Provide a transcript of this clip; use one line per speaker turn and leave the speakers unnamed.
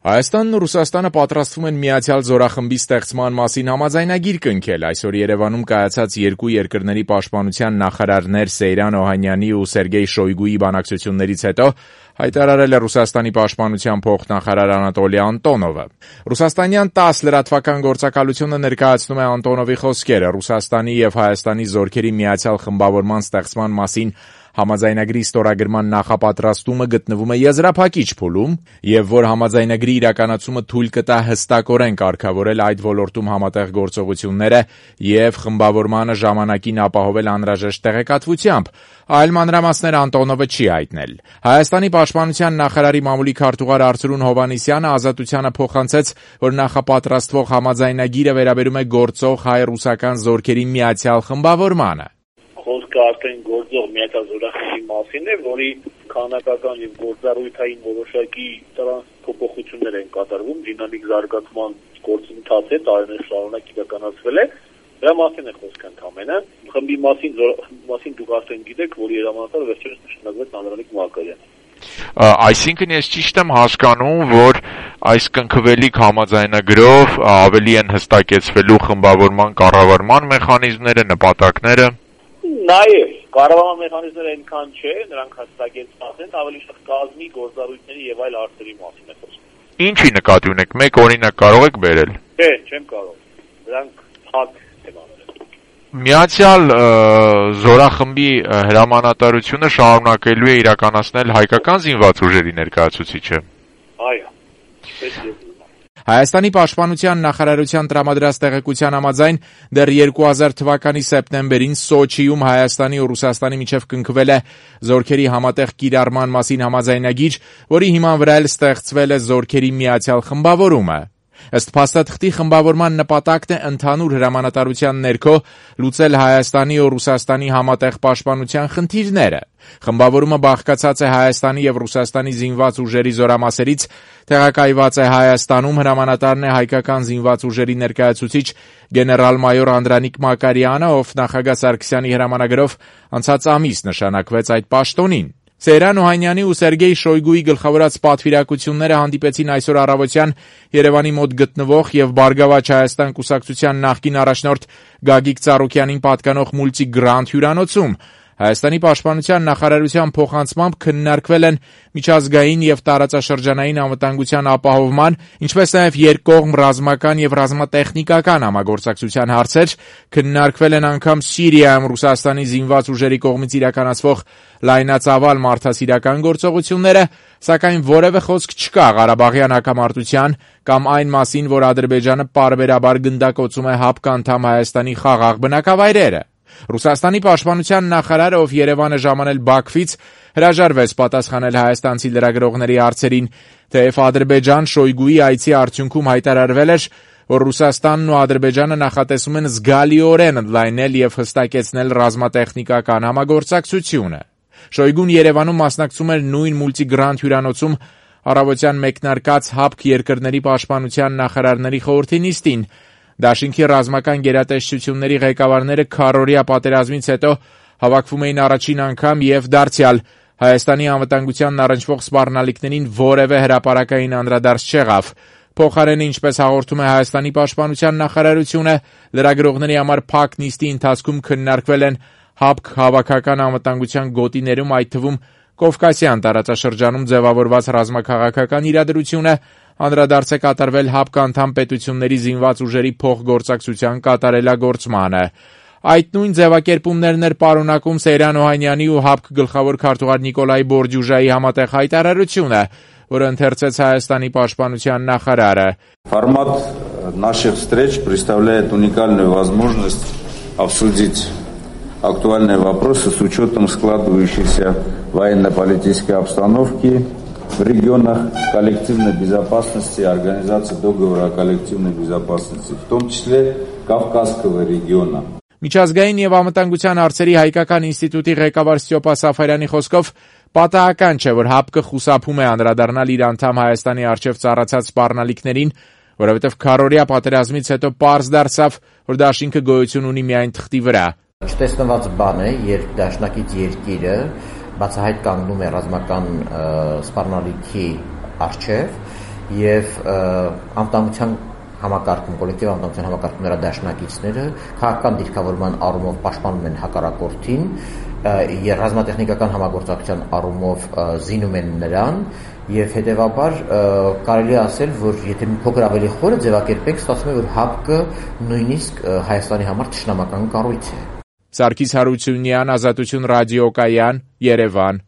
Հայաստանն ու Ռուսաստանը պատրաստվում են միացյալ զորախմբի ստեղծման մասին համաձայնագիր կնքել։ Այսօր Երևանում կայացած երկու երկրների պաշտպանության նախարարներ Սեյրան Օհանյանի ու Սերգեյ Շոյգուի բանակցություններից հետո հայտարարել է Ռուսաստանի պաշտպանության փոխնախարար Անատոլի Անտոնովը։ Ռուսաստանյան ՏԱՍՍ լրատվական գործակալությունը ներկայացնում է Անտոնովի խոսքերը Ռուսաստանի եւ Հայաստանի զորքերի միացյալ խմբավորման ստեղծման մասին համաձայնագրի ստորագրման նախապատրաստումը գտնվում է եզրափակիչ փուլում եւ որ համաձայնագրի իրականացումը թույլ կտա հստակորեն կարգավորել այդ ոլորտում համատեղ գործողությունները եւ խմբավորմանը ժամանակին ապահովել անհրաժեշտ տեղեկատվությամբ, այլ մանրամասներ Անտոնովը չի հայտնել։ Հայաստանի պաշտպանության նախարարի մամուլի քարտուղար Արծրուն Հովհաննիսյանը Ազատությանը փոխանցեց, որ նախապատրաստվող համաձայնագիրը վերաբերում է գործող հայ-ռուսական զորքերի միացյալ խմբավորմանը։
Խոսքը արդեն գործող միացյալ զորախմբի մասին է, որի քանակական եւ գործառույթային որոշակի փոփոխություններ են կատարվում, դինամիկ զարգացման գործընթաց է, տարիներ շարունակ իրականացվել է։ Դրա մասին է խոսքը ընդհանրապես։ Խմբի մասին դուք արդեն գիտեք, որ երամանատար վերջերս նշանակվեց Անդրանիկ Մակարյանը։
Այսինքն ես ճիշտ եմ հասկանում, որ այս կնքվելիք համաձայնագրով ավելի են հստակեցվելու խմբավորման կառավարման մեխանիզմները, նպատակները։
Նաև կառավարման մեխանիզմները այնքան չէ, նրանք հստակեցված են, ավելի շատ կազմի գործառույթների եւ այլ հարցերի մասին է խոսքը։
Ինչի նկատի ունեք, մեկ օրինակ կարող եք բերել։
Չէ, չեմ կարող։ Դրանք փակ թեմաներ են։
Միացյալ զորախմբի հրամանատարությունը շարունակելու է իրականացնել հայկական զինված ուժերի ներկայացուցիչը։
Այո։
Հայաստանի պաշտպանության նախարարության տրամադրած տեղեկության համաձայն դեռ 2000 թվականի սեպտեմբերին Սոչիում Հայաստանի ու Ռուսաստանի միջև կնքվել է զորքերի համատեղ կիրառման մասին համաձայնագիր, որի հիման վրա էլ ստեղծվել է զորքերի միացյալ խմբավորումը։ Ըստ փաստաթղթի խմբավորման նպատակն է ընդհանուր հրամանատարության ներքո լուծել Հայաստանի ու Ռուսաստանի համատեղ պաշտպանության խնդիրները։ Խմբավորումը բաղկացած է Հայաստանի եւ Ռուսաստանի զինված ուժերի զորամասերից, տեղակայված է Հայաստանում, հրամանատարն է հայկական զինված ուժերի ներկայացուցիչ գեներալ-մայոր Անդրանիկ Մակարյանը, ով նախագահ Սարգսյանի հրամանագրով անցած ամիս նշանակվեց այդ պաշտոնին։ Սեյրան Օհանյանի ու Սերգեյ Շոյգուի գլխավորած պատվիրակությունները հանդիպեցին այսօր առավոտյան Երևանի մոտ գտնվող եւ Բարգավաճ Հայաստան կուսակցության նախկին առաջնորդ Գագիկ Ծառուկյանին պատկանող Մուլտի Գրանդ հյուրանոցում։ Հայաստանի պաշտպանության նախարարության փոխանցմամբ քննարկվել են միջազգային եւ տարածաշրջանային անվտանգության ապահովման, ինչպես նաեւ երկկողմ ռազմական եւ ռազմատեխնիկական համագործակցության հարցեր, քննարկվել են անգամ Սիրիայում Ռուսաստանի զինված ուժերի կողմից իրականացվող լայնածավալ մարդասիրական գործողությունները, սակայն որևէ խոսք չկա Ղարաբաղյան հակամարտության կամ այն մասին, որ Ադրբեջանը պարբերաբար գնդակոծում է ՀԱՊԿ անդամ Հայաստանի խաղաղ բնակավայրերը։ Ռուսաստանի պաշտպանության նախարարը, ով Երևան է ժամանել Բաքվից, հրաժարվեց պատասխանել հայաստանցի լրագրողների հարցերին, թեև Ադրբեջան Շոյգուի այցի արդյունքում հայտարարվել էր, որ Ռուսաստանն ու Ադրբեջանը նախատեսում են զգալիորեն ընդլայնել եւ հստակեցնել ռազմատեխնիկական համագործակցությունը։ Շոյգուն Երևանում մասնակցում էր նույն Մուլտի Գրանդ հյուրանոցում առավոտյան մեկնարկած ՀԱՊԿ երկրների պաշտպանության նախարարների խորհրդի նիստին։ Դաշինքի ռազմական գերատեսչությունների ղեկավարները քառօրյա պատերազմից հետո հավաքվում էին առաջին անգամ եւ դարձյալ Հայաստանի անվտանգությանն առնչվող սպառնալիքներին որևէ հրապարակային անդրադարձ չեղավ։ Փոխարենը, ինչպես հաղորդում է Հայաստանի պաշտպանության նախարարությունը, լրագրողների համար փակ նիստի ընթացքում քննարկվել են ՀԱՊԿ հավաքական անվտանգության գոտիներում, այդ թվում Կովկասյան տարածաշրջանում ձևավորված ռազմաքաղաքական իրադրությունը, անդրադարձ է կատարվել ՀԱՊԿ անդամ պետությունների զինված ուժերի փոխգործակցության կատարելագործմանը։ Այդ նույն ձևակերպումներն էր պարունակում Սեյրան Օհանյանի ու ՀԱՊԿ գլխավոր քարտուղար Նիկոլայ Բորդյուժայի համատեղ հայտարարությունը, որը ընթերցեց Հայաստանի պաշտպանության նախարարը։
Формат наших встреч представляет уникальную возможность обсудить актуальные вопросы с учетом складывающейся военно-политической обстановки в регионах коллективной безопасности, организации договора о коллективной безопасности, в том числе Кавказского региона.
Միջազգային եւ անվտանգության հարցերի հայկական ինստիտուտի ղեկավար Ստյոպա Սաֆարյանի խոսքով պատահական չէ, որ ՀԱՊԿ խուսափում է անդրադառնալ իր անդամ Հայաստանի առջև ծառացած սպառնալիքներին, որովհետեւ քառօրյա պատերազմից հետո պարզ դարձավ, որ դաշինքը գոյություն ունի միայն թղթի վրա։
Չտեսնված բան է, երբ դաշնակից երկիրը բացահայտ կանգնում է ռազմական սպառնալիքի առջև եւ անվտանգության համակարգում, կոլեկտիվ անվտանգության համակարգում նրա դաշնակիցները քաղաքական դիրքավորման առումով պաշտպանում են հակառակորդին, ռազմատեխնիկական համագործակցության առումով զինում են նրան եւ հետեւաբար կարելի է ասել, որ եթե մի փոքր ավելի խորը ձևակերպենք, ստացվում է, որ ՀԱՊԿ նույնիսկ Հայաստանի համար թշնամական կառույց է։
Սարգիս Հարությունյան, Ազատություն ռադիոկայան, Երևան։